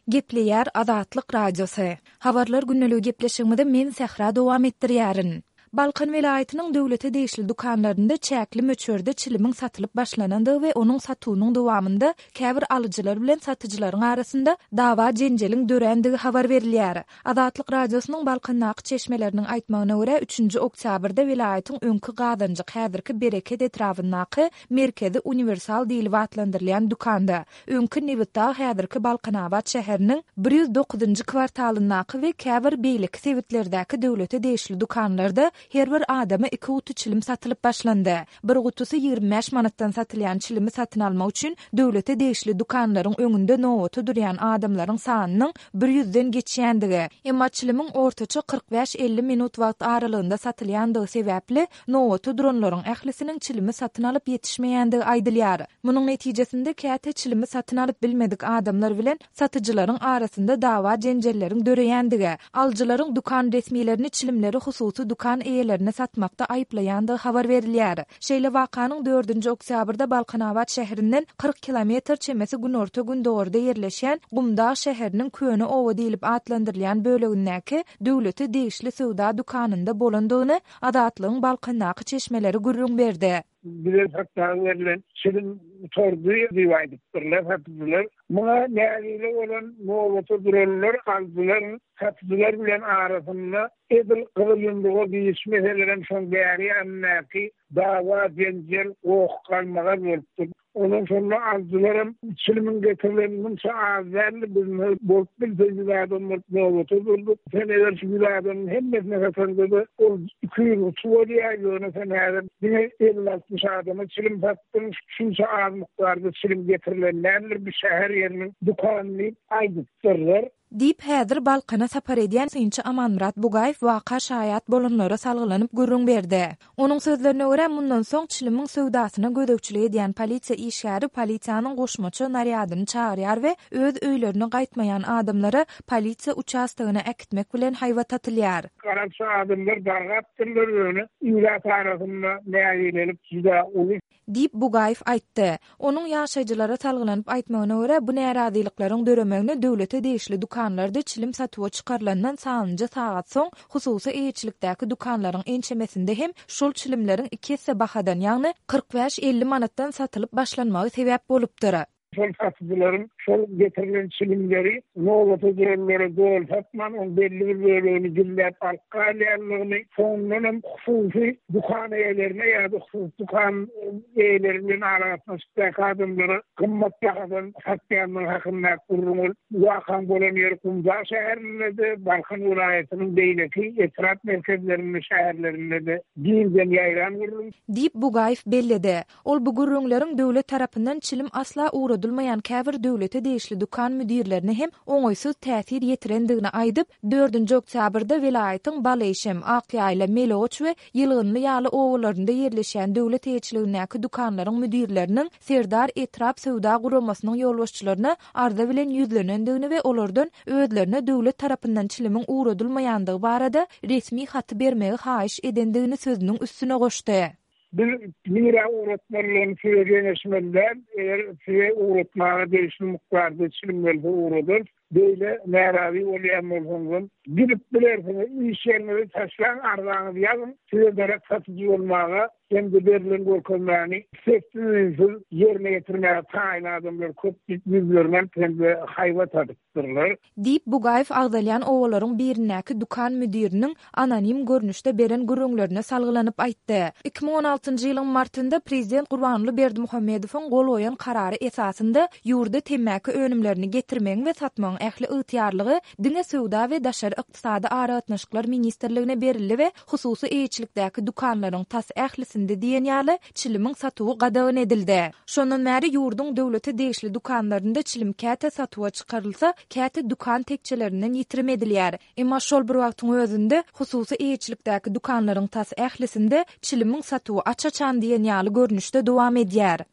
Gepleýär Azatlyk Radiosy. Habarlar gündeligi gepleşigimizi men Sähra dowam etdirýärin. Balkan welaýatynyň döwlete degişli dükanlarynda çäkli möçberde çilimiň satylyp başlanandygy we onuň satuwynyň dowamynda käbir alyjylar bilen satyjylaryň arasynda dawa-jenjeliň dörändigi habar berilýär. Azatlyk Radiosynyň Balkandaky çeşmeleriniň aýtmagyna görä, üçünji oktýabrda welaýatyň öňki Gazanjyk, häzirki Bereket etrabyndaky Merkezi uniwersal diýlip atlandyrylýan dükanda, öňki Nebitdag, häzirki Balkanabat şäheriniň 109-njy kwartalyndaky we käbir beýleki sebitlerdäki döwlete degişli dükanlarda her bir adama iki guty çilim satylyp başlandy. Bir gutusy 25 manatdan satylýan çilimi satyn almak üçin döwlete degişli dükanlaryň öňünde nobata durýan adamlaryň sanynyň bir ýüzden geçýändigi, emma çilimiň ortaça 45-50 minut wagt aralygynda satylýandygy sebäpli, nobata duranlaryň ählisiniň çilimi satyn alyp ýetişmeýändigi aýdylýar. Munuň netijesinde käte çilimi satyn alyp bilmedik adamlar bilen satyjylaryň arasynda dawa-jenjelleriň döreýändigi, alyjylaryň dükan resmilerini çilimleri hususy dükan eýelerine satmakda aýyplaýandygy habar berilýär. Şeýle wakanyň dördünji oktýabrda Balkanabat şäherinden 40 kilometr çemesi günorta-gündogarda ýerleşýän Gumdag şäheriniň Köne oba diýlip atlandyrylýan bölegindäki döwlete degişli söwda dükanynda bolandygyny Azatlygyň Balkandaky çeşmeleri gürrüň berdi. Bize satmaga berlen çilim gutardy diýip aýdypdyrlar satyjylar. Muňa nägile bolan nobata duranlar alyjylar satyjylar bilen arasynda edil gyzyl ýumruga giriş meselelerem şoň bäri ýanyndaky dawa-jenjel, goh-galmagal bolupdyr. Ondan şonda alyjylaram çilimiň getirileni munça az däldi, biz bolup bilse ýüz adam bolup nobata durduk. Sen eger şu ýüz adamyň hemmesine sataňda-da ol 200 guty bolýar, ýöne sen häzir diňe elli-altmyş adama çilim satdyň, şunça az mukdarda çilim getirilen däldir bu şäher ýeriniň dükany diýip aýdypdyrlar. Diýip, häzir Balkana sapar edýän synçy Amanmyrat Bugaýew waka şaýat bolanlara salgylanyp gürrüň berdi. Onuň sözlerine görä, mundan soň çilimiň söwdasyna gözegçilik edýän polisiýa işgäri polisiýanyň goşmaça narýadyny çagyrýar we öz öýlerine gaýtmaýan adamlary polisiýa uçastogyna äkitmek bilen haýbat atylýar. Garakçy adamlar dargapdyrlar, ýöne ilat arasynda nägilelik juda uly. Diýip, Bugaýew aýtdy. Onuň ýaşaýjylara salgylanyp aýtmagyna görä, bu närazylyklaryň döremegine döwlete degişli dükanlarda çilim satuwa çykarylandan sanlyja sagat soň, hususy eýeçilikdäki dükanlaryň ençemesinde hem şol çilimleriň iki esse bahadan, ýagny 45-50 manatdan satylyp başlanmagy sebäp bolupdyr. Şol satyjylaryň şol getirilen çilimleri nobata duranlara doly satman, oň belli bir bölegini gizläp alyp galýandygyny, soňundan hem hususy dükan eýelerine ýa-da hususy dükan eýeleri bilen aragatnaşykdaky adamlara gymmat bahadan satýandygy hakyndaky gürrüň ol wakaň bolan ýeri Gumdag şäherinde-de, Balkan welaýatynyň beýleki etrap merkezlerinde, şäherlerinde-de giňden ýaýran gürrüň. Diýip, Bugaýew belledi. Ol bu gürrüňleriň döwlet tarapyndan çilim asla ugradylmaýan käbir döwlete degişli dükan müdirlerine hem oňaýsyz täsir ýetirendigini aýdyp, dördünji oktýabrda welaýatyň Baleýşem, Akýaýla, Melegoç we Ýylgynly ýaly obalarynda ýerleşýän döwlet eýeçiligindäki dükanlaryň müdirleriniň Serdar etrap söwda guramasynyň ýolbaşçylaryna arza bilen ýüzlenendigini we olardan özlerine döwlet tarapyndan çilimiň ugradylmaýandygy barada resmi haty bermegi haýyş edendigini sözüniň üstüne goşdy. Biz nirä ugratmalydygyny size geňeşmeli däl, eger size ugratmaga degişli mukdarda çilim gelse ugradarys. Beýle närazy bolýan bolsaňyzam, gidip bilersiňiz, iş ýeriňizi taşlaň, arzaňyzy ýazyň, size derek satyjy bolmaga hem-de berlen görkezmäni sessiz-üýnsüz ýerine ýetirmäge taýyn adamlar köp diýip ýüzlerini alyp hem-de haýbat atypdyrlar. Diýip, Bugaýew agzalýan obalaryň birindäki dükan müdiriniň anonim görnüşde beren gürrüňlerine salgylanyp aýtdy. 2016-njy ýylyň martynda prezident Gurbanguly Berdimuhamedowyň gol goýan karary esasynda ýurda temmäki önümlerini getirmegiň we satmagyň ähli ygtyýarlygy diňe Söwda we daşary ykdysady aragatnaşyklar ministrligine berildi we hususy eýeçilikdäki dükanlaryň tas ählisinde diýen ýaly çilimiň satuwy gadagan edildi. Şondan bäri ýurduň döwlete degişli dükanlarynda çilim käte satuwa çykarylsa, käte dükan tekjelerinden ýitirim edilýär. Emma şol bir wagtyň özünde, hususy eýeçilikdäki dükanlaryň tas ählisinde çilimiň satuwy aç-açan diýen ýaly görnüşde dowam edýär.